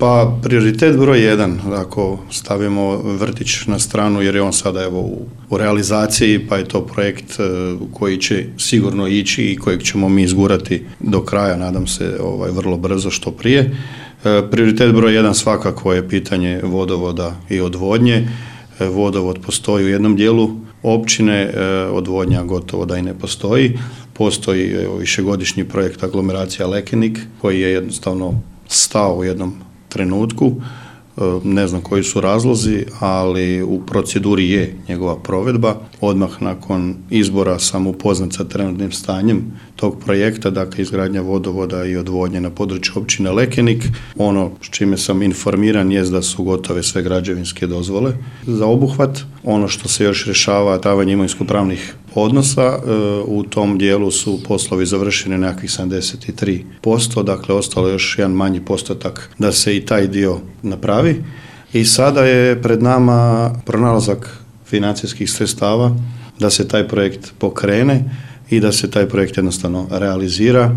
Pa prioritet broj 1, ako stavimo vrtić na stranu, jer je on sada evo u realizaciji, pa je to projekt koji će sigurno ići i kojeg ćemo mi izgurati do kraja, nadam se vrlo brzo, što prije. Prioritet broj 1 svakako je pitanje vodovoda i odvodnje. Vodovod postoji u jednom dijelu općine, odvodnja gotovo da i ne postoji. Postoji višegodišnji projekt aglomeracija Lekenik koji je jednostavno stao u jednom trenutku, ne znam koji su razlozi, ali u proceduri je njegova provedba. Odmah nakon izbora sam upoznat sa trenutnim stanjem tog projekta, dakle izgradnja vodovoda i odvodnje na području općine Lekenik. Ono s čime sam informiran jest da su gotove sve građevinske dozvole za obuhvat. Ono što se još rješava, davanje imovinsko-pravnih odnosa, u tom dijelu su poslovi završeni nekakvih 73%, dakle ostalo još jedan manji postotak da se i taj dio napravi. I sada je pred nama pronalazak financijskih sredstava da se taj projekt pokrene i da se taj projekt jednostavno realizira.